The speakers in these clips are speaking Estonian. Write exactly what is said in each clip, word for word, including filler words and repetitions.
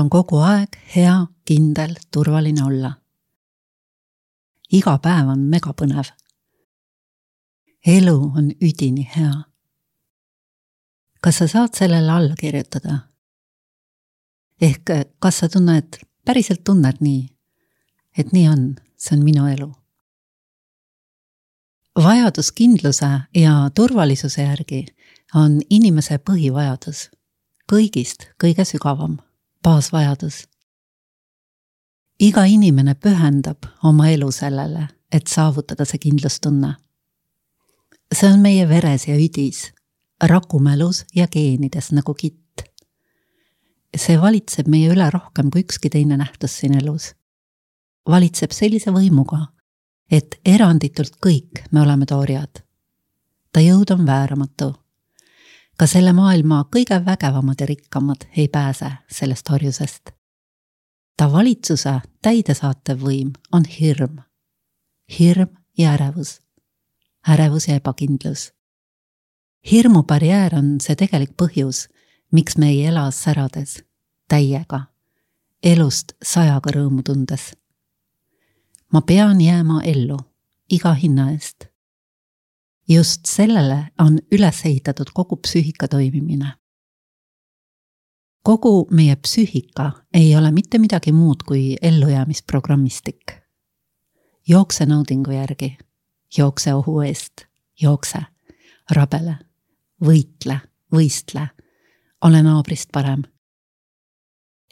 on kogu aeg hea, kindel, turvaline olla. Iga päev on megapõnev. Elu on üdini hea. Kas sa saad sellele alla kirjutada? Ehk kas sa tunned, päriselt tunned nii, et nii on, see on minu elu. Vajadus kindluse ja turvalisuse järgi on inimese põhivajadus, kõigist kõige sügavam, baasvajadus. Iga inimene pühendab oma elu sellele, et saavutada see kindlustunne. See on meie veres ja üdis, rakumälus ja geenides nagu kitt. See valitseb meie üle rohkem kui ükski teine nähtus siin elus. Valitseb sellise võimuga, et eranditult kõik me oleme tooriad. Ta jõud on vääramatu. Ka selle maailma kõige vägevamad ja rikkamad ei pääse sellest harjusest. Ta valitsuse täidesaatev võim on hirm. Hirm ja ärevus. Ärevus ja ebakindlus. Hirmu barjäär on see tegelik põhjus, miks me ei ela särades, täiega, elust sajaga rõõmu tundes. Ma pean jääma ellu, iga hinna eest. Just sellele on üles ehitatud kogu psüühika toimimine. Kogu meie psüühika ei ole mitte midagi muud kui ellujäämisprogrammistik. Jookse naudingu järgi, jookse ohu eest, jookse, rabele, võitle, võistle, ole naabrist parem.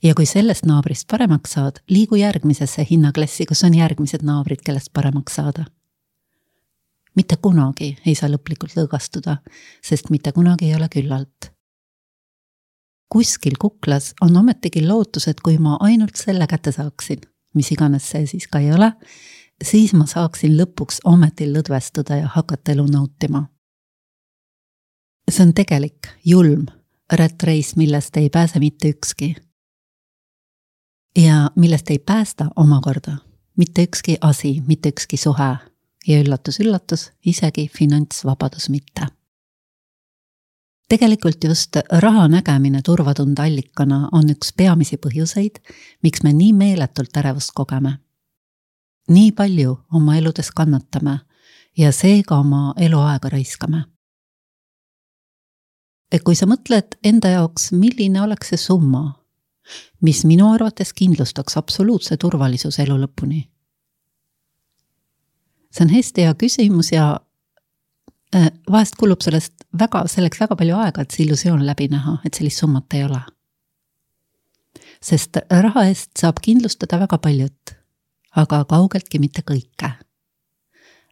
Ja kui sellest naabrist paremaks saad, liigu järgmisesse hinnaklassi, kus on järgmised naabrid, kellest paremaks saada. Mitte kunagi ei saa lõplikult lõõgastuda, sest mitte kunagi ei ole küllalt. Kuskil kuklas on ometigi lootus, et kui ma ainult selle kätte saaksin, mis iganes see siis ka ei ole, siis ma saaksin lõpuks ometi lõdvestuda ja hakata elu nautima. See on tegelik, julm, rättreis, millest ei pääse mitte ükski. Ja millest ei päästa omakorda mitte ükski asi, mitte ükski suhe ja üllatus, üllatus, isegi finantsvabadus mitte. Tegelikult just raha nägemine turvatunde allikana on üks peamisi põhjuseid, miks me nii meeletult ärevust kogeme. Nii palju oma eludes kannatame ja seega oma eluaega raiskame. Et kui sa mõtled enda jaoks, milline oleks see summa, mis minu arvates kindlustaks absoluutse turvalisuse elu lõpuni. See on hästi hea küsimus ja vahest kulub sellest väga, selleks väga palju aega, et see illusioon läbi näha, et sellist summat ei ole. Sest raha eest saab kindlustada väga paljut, aga kaugeltki mitte kõike.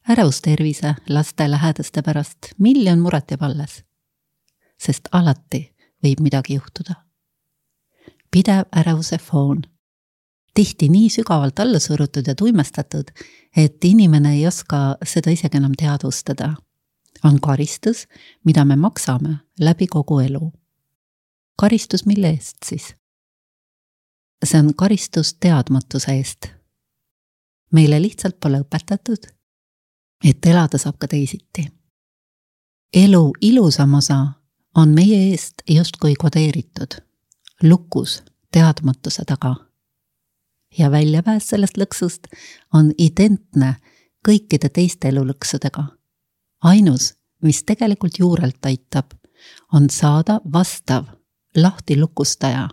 Ärevus tervise, laste lähedaste pärast, miljon muret jääb alles, sest alati võib midagi juhtuda. Pidev ärevuse foon. Tihti nii sügavalt alla surutud ja tuimestatud, et inimene ei oska seda isegi enam teadvustada. On karistus, mida me maksame läbi kogu elu. Karistus mille eest siis? See on karistus teadmatuse eest. Meile lihtsalt pole õpetatud, et elada saab ka teisiti. Elu ilusam osa on meie eest justkui kodeeritud. Lukus teadmatuse taga. Ja väljapääs sellest lõksust on identne kõikide teiste elulõksudega. Ainus, mis tegelikult juurelt aitab, on saada vastav lahti lukustaja,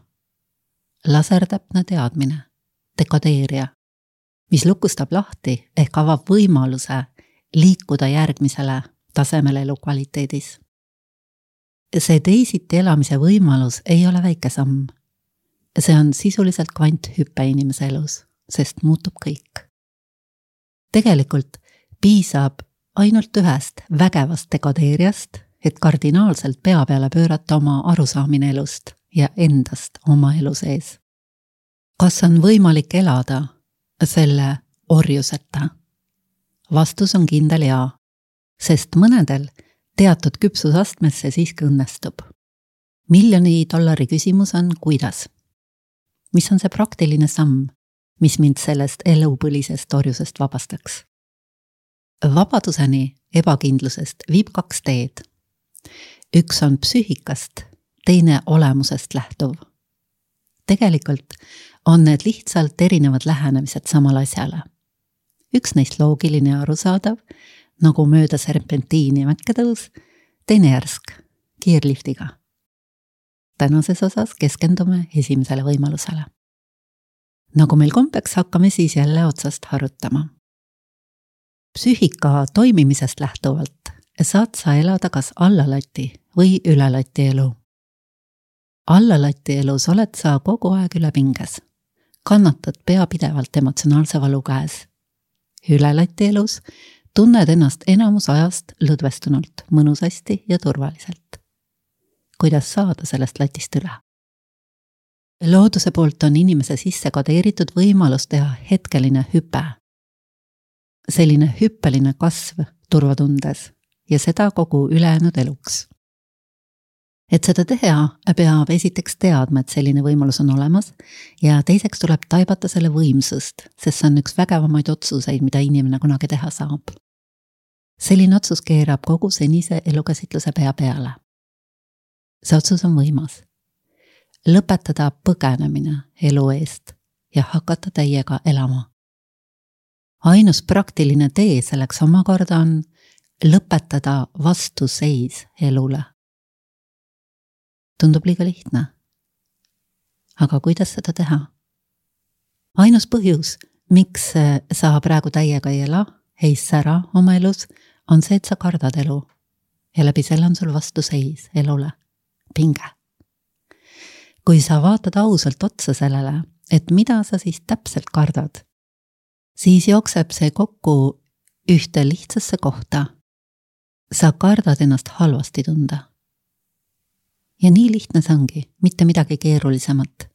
lasertäpne teadmine, dekadeerija, mis lukustab lahti ehk avab võimaluse liikuda järgmisele tasemele elukvaliteedis. See teisiti elamise võimalus ei ole väike samm. See on sisuliselt kvanthüppe inimese elus, sest muutub kõik. Tegelikult piisab ainult ühest vägevast dekadeerijast, et kardinaalselt pea peale pöörata oma arusaamine elust ja endast oma elu sees. Kas on võimalik elada selle orjuseta? Vastus on kindel jaa, sest mõnedel teatud küpsusastmesse siiski õnnestub. Miljoni dollari küsimus on kuidas? Mis on see praktiline samm, mis mind sellest elupõlisest orjusest vabastaks? Vabaduseni ebakindlusest viib kaks teed. Üks on psüühikast, teine olemusest lähtuv. Tegelikult on need lihtsalt erinevad lähenemised samal asjale. Üks neist loogiline ja arusaadav, nagu mööda serpentiini mäkketõus, teine järsk, kiirliftiga. Tänases osas keskendume esimesele võimalusele. Nagu meil kombeks, hakkame siis jälle otsast harutama. Psüühika toimimisest lähtuvalt saad sa elada kas allalati või ülalati elu. Allalati elus oled sa kogu aeg üle pinges. Kannatad pea pidevalt emotsionaalse valu käes. Ülelati elus tunned ennast enamus ajast lõdvestunult, mõnusasti ja turvaliselt. Kuidas saada sellest latist üle? Looduse poolt on inimese sisse kodeeritud võimalus teha hetkeline hüpe. Selline hüppeline kasv turvatundes ja seda kogu ülejäänud eluks. Et seda teha, peab esiteks teadma, et selline võimalus on olemas ja teiseks tuleb taibata selle võimsust, sest see on üks vägevamaid otsuseid, mida inimene kunagi teha saab. Selline otsus keerab kogu senise elukäsitluse pea peale. See otsus on võimas. Lõpetada põgenemine elu eest ja hakata täiega elama. Ainus praktiline tee selleks omakorda on lõpetada vastuseis elule. Tundub liiga lihtne. Aga kuidas seda teha? Ainus põhjus, miks sa praegu täiega ei ela, ei sära oma elus, on see, et sa kardad elu. Ja läbi selle on sul vastuseis elule. Pinge. Kui sa vaatad ausalt otsa sellele, et mida sa siis täpselt kardad, siis jookseb see kokku ühte lihtsasse kohta. Sa kardad ennast halvasti tunda. Ja nii lihtne see ongi, mitte midagi keerulisemat.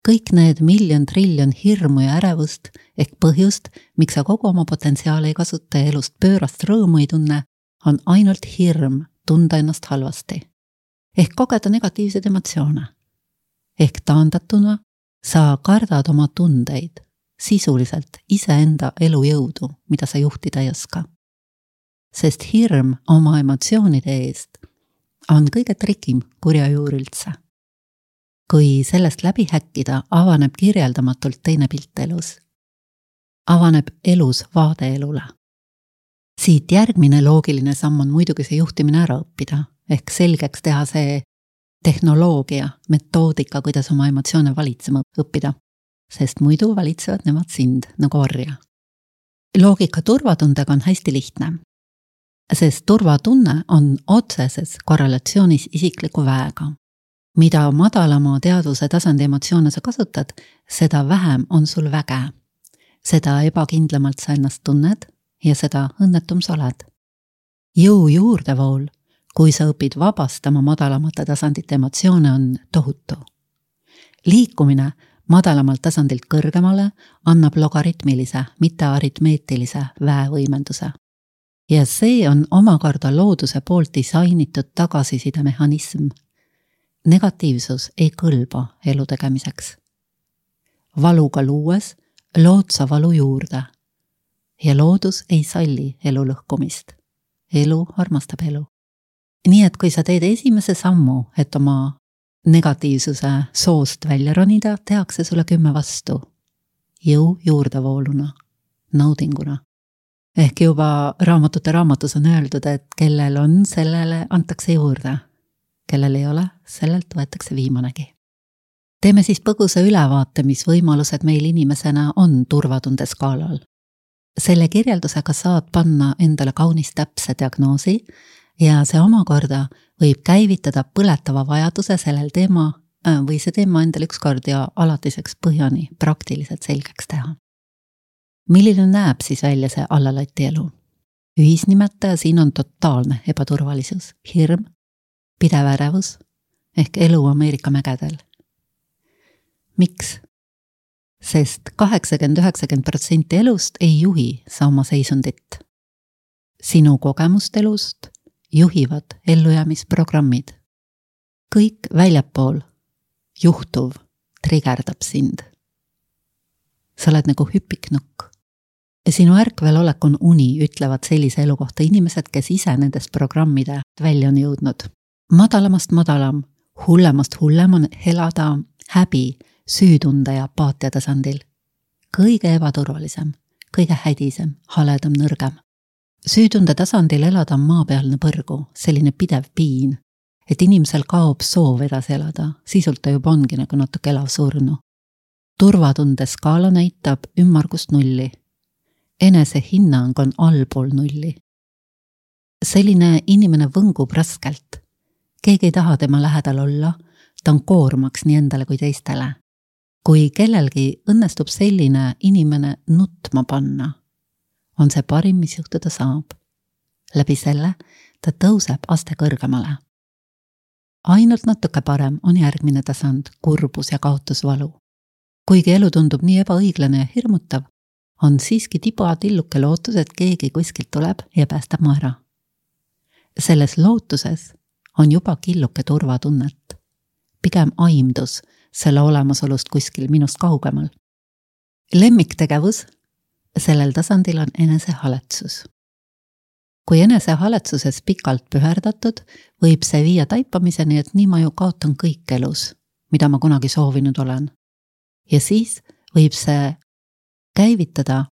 Kõik need miljon triljon hirmu ja ärevust ehk põhjust, miks sa kogu oma potentsiaali ei kasuta ja elust pöörast rõõmu ei tunne, on ainult hirm tunda ennast halvasti. Ehk kogeda negatiivseid emotsioone. Ehk taandatuna sa kardad oma tundeid, sisuliselt iseenda elujõudu, mida sa juhtida ei oska. Sest hirm oma emotsioonide eest on kõige trikim kurja juur üldse. Kui sellest läbi häkkida, avaneb kirjeldamatult teine pilt elus. Avaneb elus vaade elule. Siit järgmine loogiline samm on muidugi see juhtimine ära õppida, ehk selgeks teha see tehnoloogia, metoodika, kuidas oma emotsioone valitsema õppida, sest muidu valitsevad nemad sind nagu orja. Loogika turvatundega on hästi lihtne. Sest turvatunne on otseses korrelatsioonis isikliku väega. Mida madalama teadvuse tasandi emotsioone sa kasutad, seda vähem on sul väge. Seda ebakindlamalt sa ennast tunned ja seda õnnetum sa oled. Jõu juurdevool, kui sa õpid vabastama madalamate tasandite emotsioone, on tohutu. Liikumine madalamalt tasandilt kõrgemale annab logaritmilise, mitte aritmeetilise väevõimenduse. Ja see on omakorda looduse poolt disainitud tagasiside mehhanism. Negatiivsus ei kõlba elu tegemiseks. Valuga luues lood sa valu juurde ja loodus ei salli elu lõhkumist. Elu armastab elu. Nii et kui sa teed esimese sammu, et oma negatiivsuse soost välja ronida, tehakse sulle kümme vastu. Jõu juurdevooluna, naudinguna. Ehk juba raamatute raamatus on öeldud, et kellel on, sellele antakse juurde. Kellel ei ole, sellelt võetakse viimanegi. Teeme siis põgusa ülevaate, mis võimalused meil inimesena on turvatunde skaalal. Selle kirjeldusega saad panna endale kaunis täpse diagnoosi ja see omakorda võib käivitada põletava vajaduse sellel teema või see teema endale ükskord ja alatiseks põhjani praktiliselt selgeks teha. Milline näeb siis välja see allalati elu? Ühisnimetaja siin on totaalne ebaturvalisus, hirm, pidev ärevus ehk elu Ameerika mägedel. Miks? Sest kaheksakümmend kuni üheksakümmend protsenti elust ei juhi sa oma seisundit. Sinu kogemust elust juhivad ellujäämisprogrammid. Kõik väljapool juhtuv trigerdab sind. Sa oled nagu hüpiknukk. Sinu ärkvel olek on uni, ütlevad sellise elu kohta inimesed, kes ise nendest programmide välja on jõudnud. Madalamast madalam, hullemast hullem on elada häbi, süütunde ja apaatia tasandil. Kõige ebaturvalisem, kõige hädisem, haledam, nõrgem. Süütunde tasandil elada on maapealne põrgu, selline pidev piin, et inimesel kaob soov edasi elada, sisult ta juba ongi nagu natuke elav surnu. Turvatunde skaala näitab ümmargust nulli. Enese hinnang on allpool nulli. Selline inimene võngub raskelt. Keegi ei taha tema lähedal olla, ta on koormaks nii endale kui teistele. Kui kellelgi õnnestub selline inimene nutma panna, on see parim, mis juhtuda saab. Läbi selle ta tõuseb aste kõrgemale. Ainult natuke parem on järgmine tasand, kurbus ja kaotusvalu. Kuigi elu tundub nii ebaõiglane ja hirmutav, on siiski tiba tilluke lootus, et keegi kuskilt tuleb ja päästab mu ära. Selles lootuses on juba killuke turvatunnet, pigem aimdus selle olemasolust kuskil minust kaugemal. Lemmiktegevus sellel tasandil on enesehaletsus. Kui enesehaletsuses pikalt püherdatud, võib see viia taipamiseni, et nii ma ju kaotan kõik elus, mida ma kunagi soovinud olen. Ja siis võib see käivitada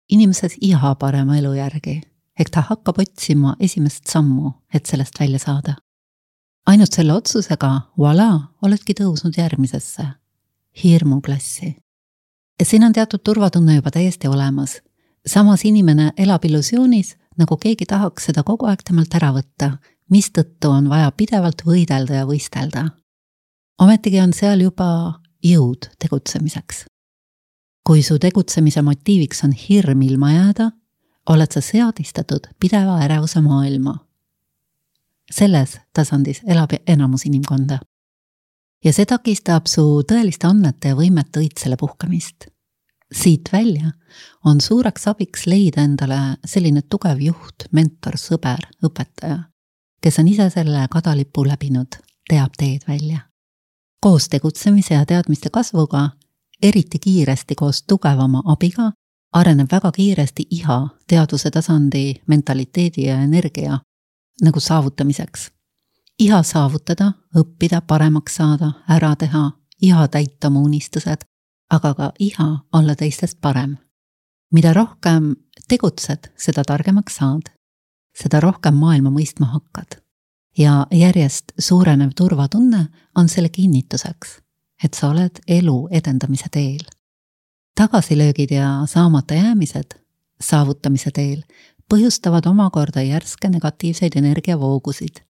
inimeses iha parema elu järgi, ehk ta hakkab otsima esimest sammu, et sellest välja saada. Ainult selle otsusega, voilà, oledki tõusnud järgmisesse, hirmuklassi. Ja siin on teatud turvatunne juba täiesti olemas. Samas inimene elab illusioonis, nagu keegi tahaks seda kogu aeg temalt ära võtta, mis tõttu on vaja pidevalt võidelda ja võistelda. Ometigi on seal juba jõud tegutsemiseks. Kui su tegutsemise motiiviks on hirm ilma jääda, oled sa seadistatud pideva ärevuse maailma. Selles tasandis elab enamus inimkonda. Ja see takistab su tõeliste annete ja võimete õitsele puhkamist. Siit välja on suureks abiks leida endale selline tugev juht, mentor, sõber, õpetaja, kes on ise selle kadalipu läbinud, teab teed välja. Koos tegutsemise ja teadmiste kasvuga, eriti kiiresti koos tugevama abiga, areneb väga kiiresti iha teadvuse tasandi, mentaliteedi ja energia nagu saavutamiseks. Iha saavutada, õppida, paremaks saada, ära teha, iha täita oma unistused, aga ka iha olla teistest parem. Mida rohkem tegutsed, seda targemaks saad, seda rohkem maailma mõistma hakkad. Ja järjest suurenev turvatunne on selle kinnituseks, et sa oled elu edendamise teel. Tagasilöögid ja saamata jäämised saavutamise teel põhjustavad omakorda järske negatiivseid energiavoogusid,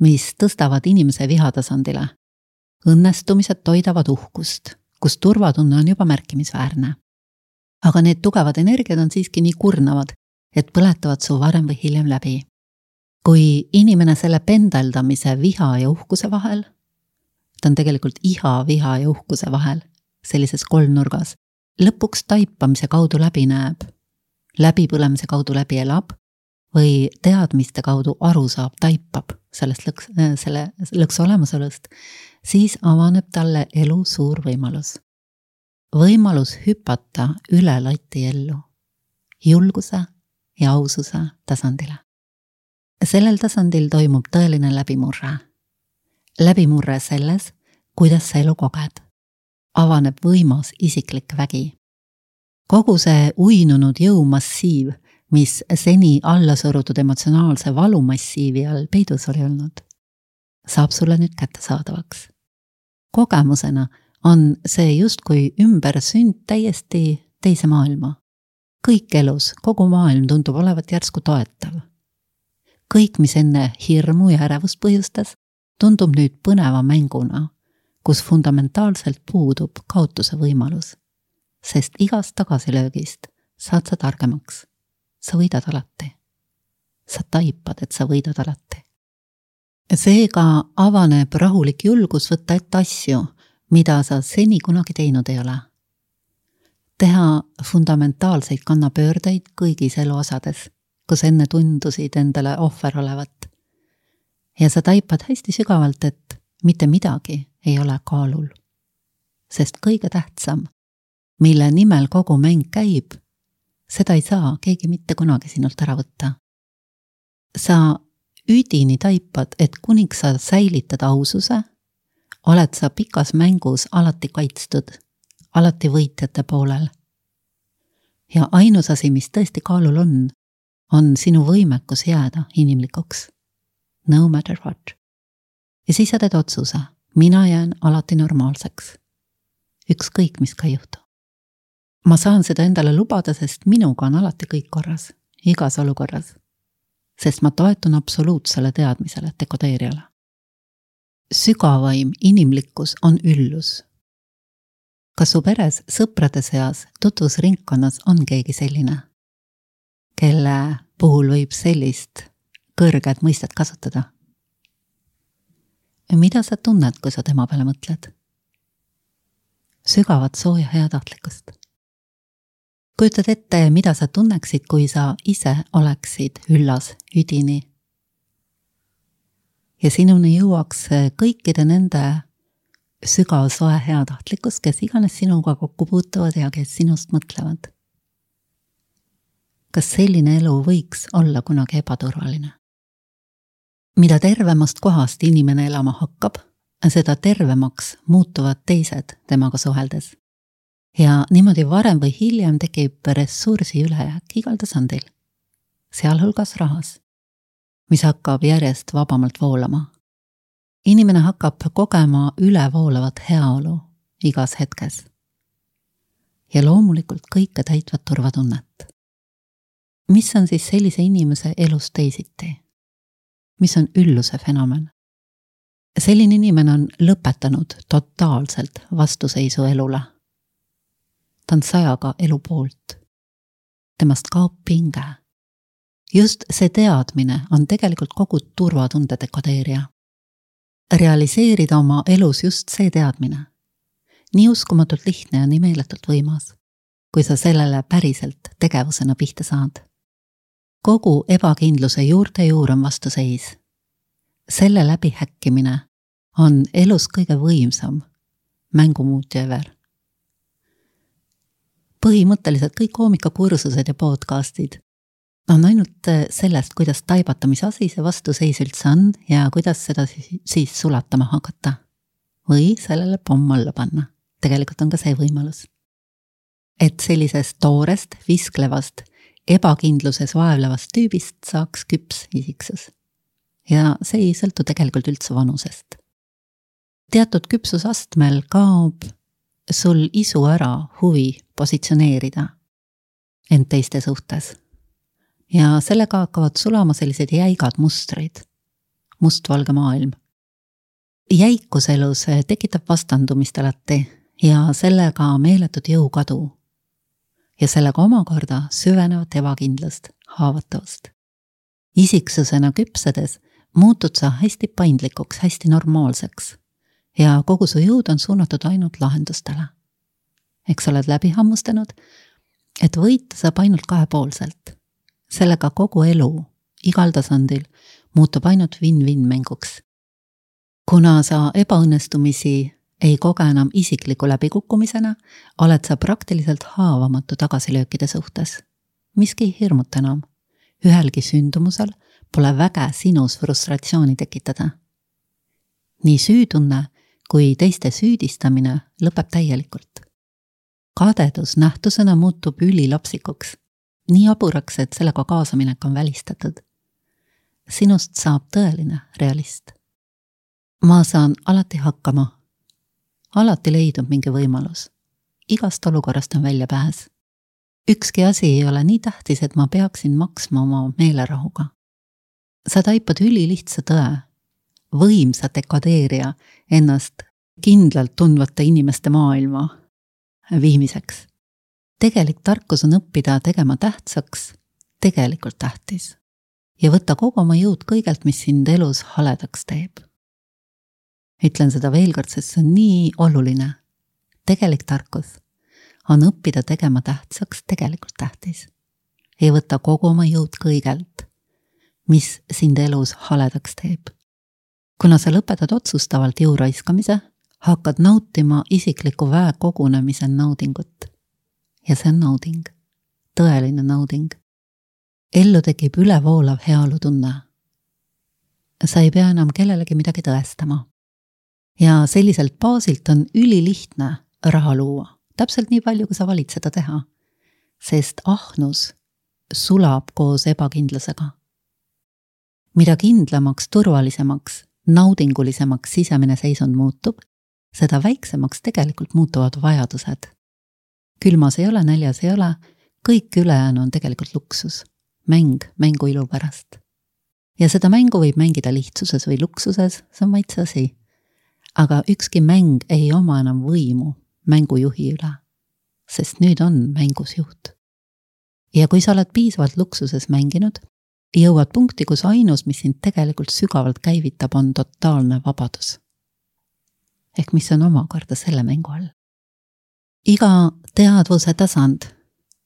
mis tõstavad inimese vihatasandile. Õnnestumised toidavad uhkust, kus turvatunne on juba märkimisväärne. Aga need tugevad energiad on siiski nii kurnavad, et põletavad su varem või hiljem läbi. Kui inimene selle pendeldamise viha ja uhkuse vahel, ta on tegelikult iha, viha ja uhkuse vahel, sellises kolmnurgas, lõpuks taipamise kaudu läbi näeb, läbipõlemise kaudu läbi elab või teadmiste kaudu aru saab, taipab sellest lõks, selle lõks olemasolust, siis avaneb talle elu suur võimalus. Võimalus hüpata üle lati ellu, julguse ja aususe tasandile. Sellel tasandil toimub tõeline läbimurre. Läbimurre selles, kuidas sa elu koged. Avaneb võimas isiklik vägi. Kogu see uinunud jõumassiiv, mis seni alla surutud emotsionaalse valumassiivi all peidus oli olnud, saab sulle nüüd kättesaadavaks. Kogemusena on see justkui ümber sünd täiesti teise maailma. Kõik elus, kogu maailm tundub olevat järsku toetav. Kõik, mis enne hirmu ja ärevust põhjustas, tundub nüüd põneva mänguna, kus fundamentaalselt puudub kaotuse võimalus, sest igast tagasilöögist saad sa targemaks. Sa võidad alati. Sa taipad, et sa võidad alati. Seega avaneb rahulik julgus võtta ette asju, mida sa seni kunagi teinud ei ole. Teha fundamentaalseid kannapöördeid kõigis eluosades, kus enne tundusid endale ohver olevat. Ja sa taipad hästi sügavalt, et mitte midagi ei ole kaalul. Sest kõige tähtsam, mille nimel kogu mäng käib, seda ei saa keegi mitte kunagi sinult ära võtta. Sa üdini taipad, et kuniks sa säilitad aususe, oled sa pikas mängus alati kaitstud, alati võitjate poolel. Ja ainus asi, mis tõesti kaalul on, on sinu võimekus jääda inimlikuks. No matter what. Ja siis sa teed otsuse, mina jään alati normaalseks. Ükskõik, mis ka juhtu. Ma saan seda endale lubada, sest minuga on alati kõik korras, igas olukorras. Sest ma toetun absoluutsele teadmisele, dekodeerijale. Sügavaim inimlikkus on üllus. Kas su peres sõprade seas tutvusringkonnas on keegi selline, kelle puhul võib sellist kõrget mõistet kasutada? Mida sa tunned, kui sa tema peale mõtled? Sügavat sooja heatahtlikkust. Kujutad ette, mida sa tunneksid, kui sa ise oleksid üllas üdini. Ja sinuni jõuaks kõikide nende sügav soe heatahtlikkus, kes iganes sinuga kokku puutuvad ja kes sinust mõtlevad. Kas selline elu võiks olla kunagi ebaturvaline? Mida tervemast kohast inimene elama hakkab, seda tervemaks muutuvad teised temaga suheldes. Ja niimoodi varem või hiljem tekib ressursi ülejääk igal tasandil, sealhulgas rahas, mis hakkab järjest vabamalt voolama. Inimene hakkab kogema ülevoolavat heaolu igas hetkes. Ja loomulikult kõike täitvat turvatunnet. Mis on siis sellise inimese elus teisiti? Mis on ülluse fenomen? Selline inimene on lõpetanud totaalselt vastuseisu elule. Ta on sajaga elu poolt. Temast kaob pinge. Just see teadmine on tegelikult kogu turvatunde dekodeerija. Realiseerida oma elus just see teadmine. Nii uskumatult lihtne ja nii meeletult võimas, kui sa sellele päriselt tegevusena pihta saad. Kogu ebakindluse juurte juur on vastuseis. Selle läbi häkkimine on elus kõige võimsam mängumuutja ever. Põhimõtteliselt kõik koomikakursused ja podcastid on ainult sellest, kuidas taibata, mis asi see vastuseis üldse on ja kuidas seda siis sulatama hakata. Või sellele pomm alla panna. Tegelikult on ka see võimalus. Et sellisest toorest, visklevast, ebakindluses vaevlevast tüübist saaks küps isiksus. Ja see ei sõltu tegelikult üldse vanusest. Teatud küpsusastmel kaob sul isu ära huvi positsioneerida end teiste suhtes. Ja sellega hakkavad sulama sellised jäigad mustrid, mustvalge maailm. Jäikus elus tekitab vastandumist alati ja sellega meeletut jõukadu. Ja sellega omakorda süvenevat ebakindlust, haavatavust. Isiksusena küpsedes muutud sa hästi paindlikuks, hästi normaalseks ja kogu su jõud on suunatud ainult lahendustele. Eks oled läbi hammustanud, et võita saab ainult kahepoolselt. Sellega kogu elu, igal tasandil, muutub ainult win-win mänguks. Kuna sa ebaõnnestumisi ei koge enam isikliku läbikukkumisena, oled sa praktiliselt haavamatu tagasilöökide suhtes. Miski ei hirmuta enam. Ühelgi sündumusel pole väge sinus frustratsiooni tekitada. Nii süütunne kui teiste süüdistamine lõpeb täielikult. Kadedus nähtusena muutub ülilapsikuks. Nii aburaks, et sellega kaasaminek on välistatud. Sinust saab tõeline realist. Ma saan alati hakkama. Alati leidub mingi võimalus. Igast olukorrast on välja pääs. Ükski asi ei ole nii tähtis, et ma peaksin maksma oma meelerahuga. Sa taipad ülilihtsa tõe, võimsa dekodeerija ennast kindlalt tundvate inimeste maailma viimiseks. Tegelik tarkus on õppida tegema tähtsaks, tegelikult tähtis. Ja võtta kogu oma jõud kõigelt, mis sind elus haledaks teeb. Ütlen seda veel kord, sest see on nii oluline. Tegelik tarkus on õppida tegema tähtsaks, tegelikult tähtis. Ja võtta kogu oma jõud kõigelt, mis sind elus haledaks teeb. Kuna sa lõpetad otsustavalt jõu raiskamise, hakkad nautima isikliku väe kogunemise naudingut. Ja see on nauding, tõeline nauding. Ellu tekib ülevoolav heaolu tunne. Sa ei pea enam kellelegi midagi tõestama. Ja selliselt baasilt on ülilihtne raha luua. Täpselt nii palju, kui sa valid seda teha. Sest ahnus sulab koos ebakindlusega. Mida kindlamaks, turvalisemaks, naudingulisemaks sisemine seisund muutub, seda väiksemaks tegelikult muutuvad vajadused. Külmas ei ole, näljas ei ole, kõik ülejäänu on tegelikult luksus. Mäng, mängu ilu pärast. Ja seda mängu võib mängida lihtsuses või luksuses, see on maitse asi. Aga ükski mäng ei oma enam võimu mängujuhi üle, sest nüüd on mängus juht. Ja kui sa oled piisavalt luksuses mänginud, jõuad punkti, kus ainus, mis sind tegelikult sügavalt käivitab, on totaalne vabadus. Ehk mis on omakorda selle mängu all. Iga teadvuse tasand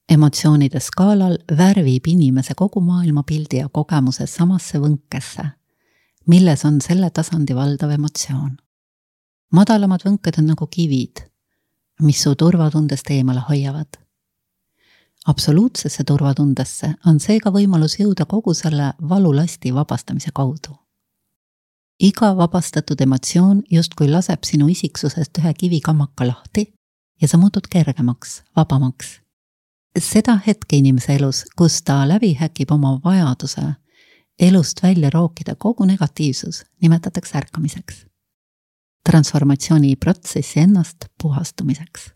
emotsioonide skaalal värvib inimese kogu maailma pildi ja kogemuse samasse võnkesse, milles on selle tasandi valdav emotsioon. Madalamad võnked on nagu kivid, mis su turvatundest eemale hoiavad. Absoluutsesse turvatundesse on seega võimalus jõuda kogu selle valulasti vabastamise kaudu. Iga vabastatud emotsioon justkui laseb sinu isiksusest ühe kivikamaka lahti ja sa muutud kergemaks, vabamaks. Seda hetke inimese elus, kus ta läbi häkib oma vajaduse elust välja rookida kogu negatiivsus, nimetatakse ärkamiseks. Transformatsiooni protsessi ennast puhastumiseks.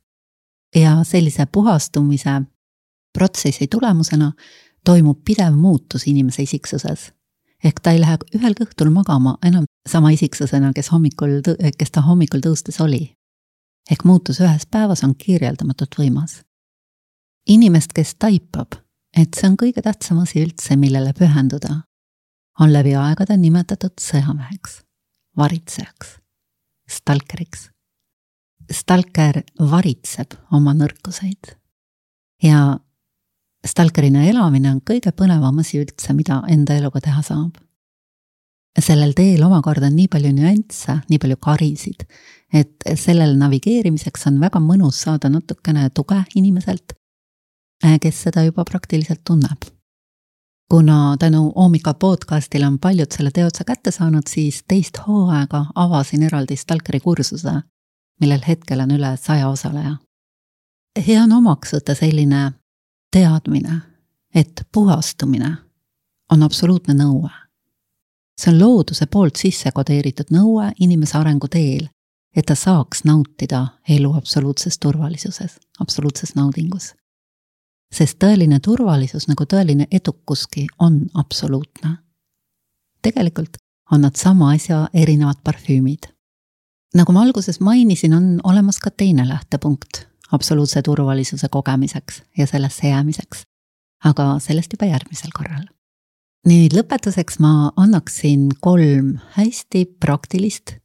Ja sellise puhastumise protsessi tulemusena toimub pidev muutus inimese isiksuses. Ehk ta ei lähe ühel kõhtul magama enam sama isiksusena, kes, hommikul, kes ta hommikul tõustes oli. Ehk muutus ühes päevas on kirjeldamatult võimas. Inimest, kes taipab, et see on kõige tähtsam asi üldse, millele pühenduda, on läbi aegade nimetatud sõjameheks, varitsejaks, stalkeriks. Stalker varitseb oma nõrkuseid ja stalkerina elamine on kõige põnevam asi üldse, mida enda eluga teha saab. Sellel teel omakorda on nii palju nüansse, nii palju karisid, et sellel navigeerimiseks on väga mõnus saada natukene tuge inimeselt, kes seda juba praktiliselt tunneb. Kuna tänu Oomika podcastile on paljud selle teotsa kätte saanud, siis teist hooaega avasin eraldi stalkeri kursuse, millel hetkel on üle saja osaleja. Hea on omaks võtta selline teadmine, et puhastumine on absoluutne nõue. See on looduse poolt sisse kodeeritud nõue inimese arengu teel, et ta saaks nautida elu absoluutses turvalisuses, absoluutses naudingus. Sest tõeline turvalisus nagu tõeline edukuski on absoluutne. Tegelikult on nad sama asja erinevad parfüümid. Nagu ma alguses mainisin, on olemas ka teine lähtepunkt absoluutse turvalisuse kogemiseks ja sellesse jäämiseks, aga sellest juba järgmisel korral. Nüüd lõpetuseks ma annaksin kolm hästi praktilist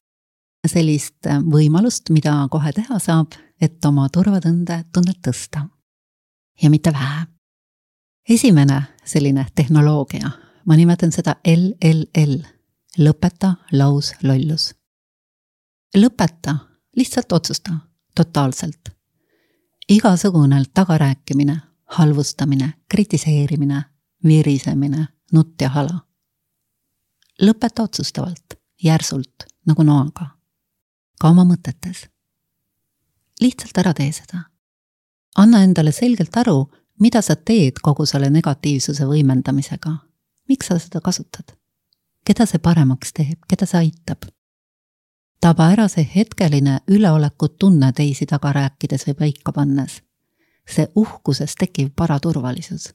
sellist võimalust, mida kohe teha saab, et oma turvatunde tunnet tõsta. Ja mitte vähe. Esimene selline tehnoloogia, ma nimetan seda L L L, lõpeta laus lollus. Lõpeta, lihtsalt otsusta, totaalselt. Igasugune tagarääkimine, halvustamine, kritiseerimine, virisemine, nutt ja hala. Lõpeta otsustavalt, järsult, nagu noaga, ka oma mõtetes. Lihtsalt ära tee seda. Anna endale selgelt aru, mida sa teed kogu selle negatiivsuse võimendamisega. Miks sa seda kasutad? Keda see paremaks teeb? Keda see aitab? Taba ära see hetkeline üleolekut tunne teisi taga rääkides või paika pannes. See uhkuses tekiv paraturvalisus.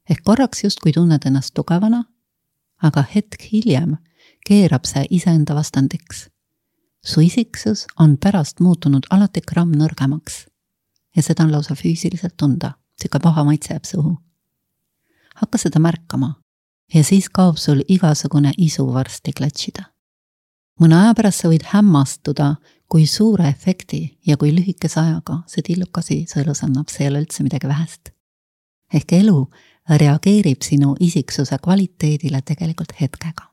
Ehk korraks justkui tunned ennast tugevana, aga hetk hiljem keerab see iseenda vastandiks. Su isiksus on pärast muutunud alati gramm nõrgemaks. Ja seda on lausa füüsiliselt tunda, siuke paha maitse jääb suhu. Hakka seda märkama ja siis kaob sul igasugune isu varsti klatšida. Mõne aja pärast sa võid hämmastuda, kui suure efekti ja kui lühikese ajaga see tillukasi sõelus annab, see ei ole üldse midagi vähest. Ehk elu reageerib sinu isiksuse kvaliteedile tegelikult hetkega.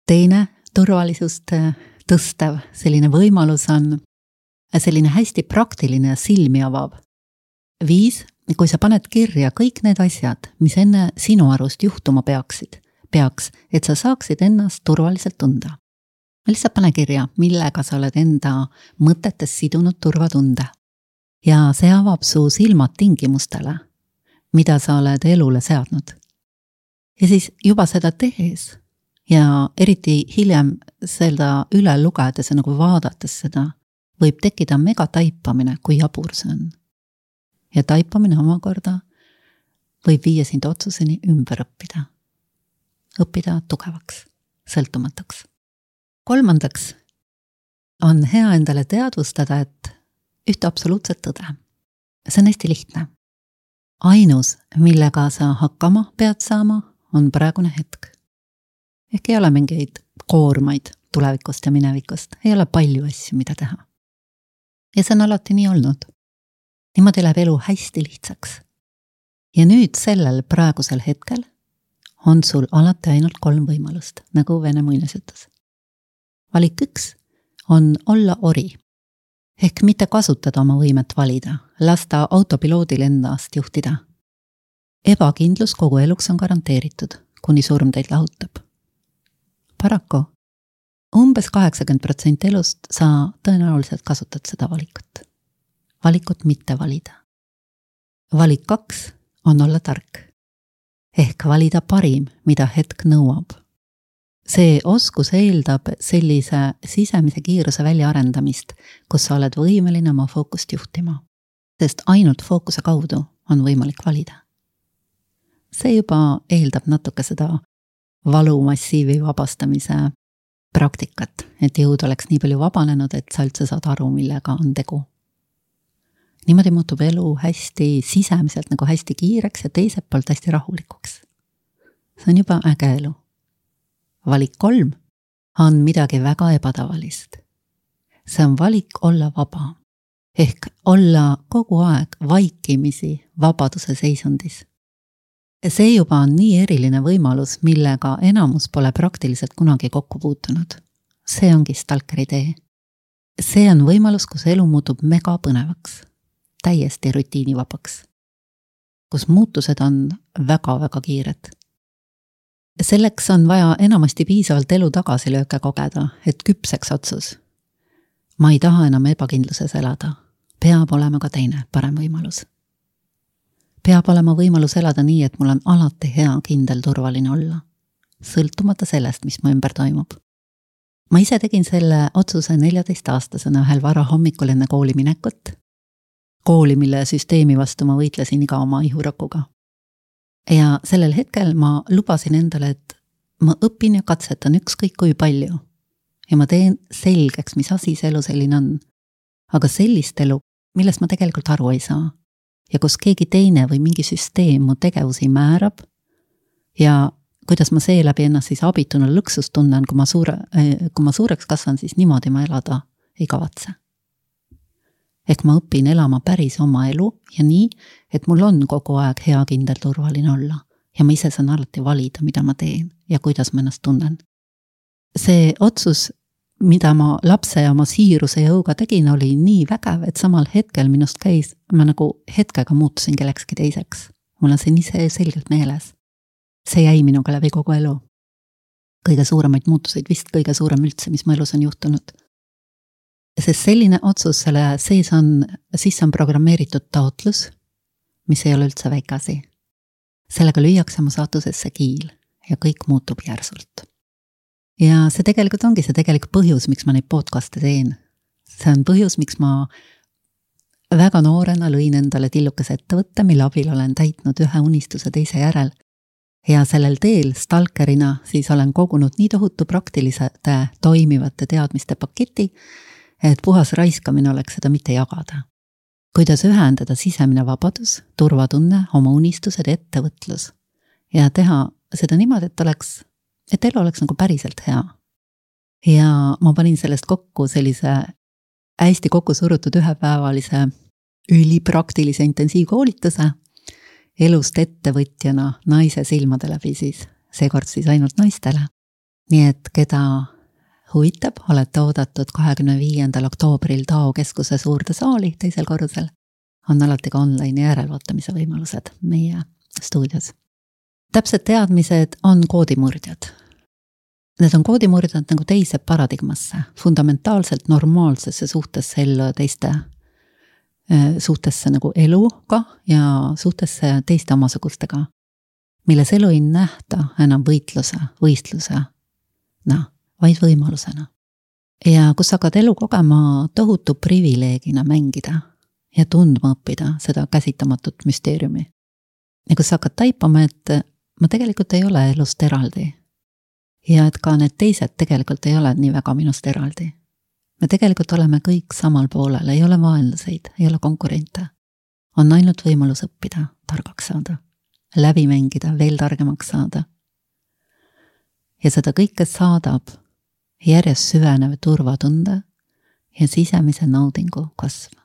Teine turvalisust tõstev selline võimalus on selline hästi praktiline ja silmi avav. Viis, kui sa paned kirja kõik need asjad, mis enne sinu arust juhtuma peaksid, peaks, et sa saaksid ennast turvaliselt tunda. lihtsalt pane kirja, millega sa oled enda mõtetes sidunud turvatunde. Ja see avab su silmad tingimustele, mida sa oled elule seadnud. Ja siis juba seda tehes ja eriti hiljem seda üle lugedes ja nagu vaadates seda, võib tekkida mega taipamine, kui jabur see on. Ja taipamine omakorda võib viia sind otsuseni ümber õppida. Õppida tugevaks, sõltumatuks. Kolmandaks on hea endale teadvustada, et ühte absoluutset tõde. See on hästi lihtne. Ainus, millega sa hakkama pead saama, on praegune hetk. Ehk ei ole mingeid koormaid tulevikust ja minevikust. Ei ole palju asju, mida teha. Ja see on alati nii olnud. Niimoodi läheb elu hästi lihtsaks. Ja nüüd sellel praegusel hetkel on sul alati ainult kolm võimalust, nagu Vene muinasjutus. Valik üks on olla ori. Ehk mitte kasutada oma võimet valida, lasta autopiloodil endast juhtida. Ebakindlus kogu eluks on garanteeritud, kuni surm teid lahutab. Paraku, umbes kaheksakümmend protsenti elust sa tõenäoliselt kasutad seda valikut. Valikut mitte valida. Valik kaks on olla tark. Ehk valida parim, mida hetk nõuab. See oskus eeldab sellise sisemise kiiruse väljaarendamist, kus sa oled võimeline oma fookust juhtima. Sest ainult fookuse kaudu on võimalik valida. See juba eeldab natuke seda valumassiivi vabastamise praktikat, et jõud oleks nii palju vabanenud, et sa üldse saad aru, millega on tegu. Niimoodi muutub elu hästi sisemiselt nagu hästi kiireks ja teiselt poolt hästi rahulikuks. See on juba äge elu. Valik kolm on midagi väga ebatavalist. See on valik olla vaba. Ehk olla kogu aeg vaikimisi vabaduse seisundis. See juba on nii eriline võimalus, millega enamus pole praktiliselt kunagi kokku puutunud. See ongi stalkeri tee. See on võimalus, kus elu muutub mega põnevaks, täiesti rutiinivabaks, kus muutused on väga-väga kiired. Selleks on vaja enamasti piisavalt elu tagasilööke kogeda, et küpseks otsus. Ma ei taha enam ebakindluses elada. Peab olema ka teine parem võimalus. Peab olema võimalus elada nii, et mul on alati hea, kindel, turvaline olla. Sõltumata sellest, mis mu ümber toimub. Ma ise tegin selle otsuse neljateist-aastasena ühel vara hommikul enne kooli minekut. Kooli, mille süsteemi vastu ma võitlesin iga oma ihurakuga. Ja sellel hetkel ma lubasin endale, et ma õpin ja katsetan ükskõik kui palju. Ja ma teen selgeks, mis asi see elu selline on. Aga sellist elu, millest ma tegelikult aru ei saa. Ja kus keegi teine või mingi süsteem mu tegevusi määrab ja kuidas ma see läbi ennast siis abituna lõksust tunnen, kui ma, suure, kui ma suureks kasvan, siis niimoodi ma elada ei kavatse. Ehk ma õpin elama päris oma elu ja nii, et mul on kogu aeg hea, kindel, turvaline olla ja ma ise saan alati valida, mida ma teen ja kuidas ma ennast tunnen. See otsus, mida ma lapse ja oma siiruse jõuga tegin, oli nii vägev, et samal hetkel minust käis, ma nagu hetkega muutusin kellekski teiseks. Mul on see nii see selgelt meeles. See jäi minuga läbi kogu elu. Kõige suuremaid muutuseid, vist kõige suurem üldse, mis mu elus on juhtunud. Sest selline otsus, selle sees on, siis on programmeeritud taotlus, mis ei ole üldse väikasi. Sellega lüüakse mu saatusesse kiil ja kõik muutub järsult. Ja see tegelikult ongi see tegelik põhjus, miks ma neid podcaste teen. See on põhjus, miks ma väga noorena lõin endale tillukese ettevõtte, mille abil olen täitnud ühe unistuse teise järel. Ja sellel teel stalkerina siis olen kogunud nii tohutu praktilisete toimivate teadmiste paketi, et puhas raiskamine oleks seda mitte jagada. Kuidas ühendada sisemine vabadus, turvatunne, oma unistused, ettevõtlus ja teha seda niimoodi, et oleks et elu oleks nagu päriselt hea. Ja ma panin sellest kokku sellise hästi kokku surutud ühepäevalise ülipraktilise intensiivkoolituse elust ettevõtjana naise silmade läbi siis, seekord siis ainult naistele. Nii et keda huvitab, olete oodatud kahekümne viiendal oktoobril Tao keskuse suurde saali teisel korrusel. On alati ka online järelvaatamise võimalused meie stuudios. Täpsed teadmised on koodimurdjad. need on koodimurdjad nagu teise paradigmasse, fundamentaalselt normaalsesse suhtesse ellu ja teiste suhtesse nagu eluga ja suhtesse teiste omasugustega, milles elu ei nähta enam võitluse, võistluse, no, vaid võimalusena. Ja kus hakkad elu kogema tohutu privileegina mängida ja tundma õppida seda käsitamatut müsteeriumi. Ja kus hakkad taipama, et ma tegelikult ei ole elust eraldi. Ja et ka need teised tegelikult ei ole nii väga minust eraldi. Me tegelikult oleme kõik samal poolel, ei ole vaenlaseid, ei ole konkurente. On ainult võimalus õppida, targaks saada, läbi mängida, veel targemaks saada. Ja seda kõike saadab järjest süvenev turvatunde ja sisemise naudingu kasv.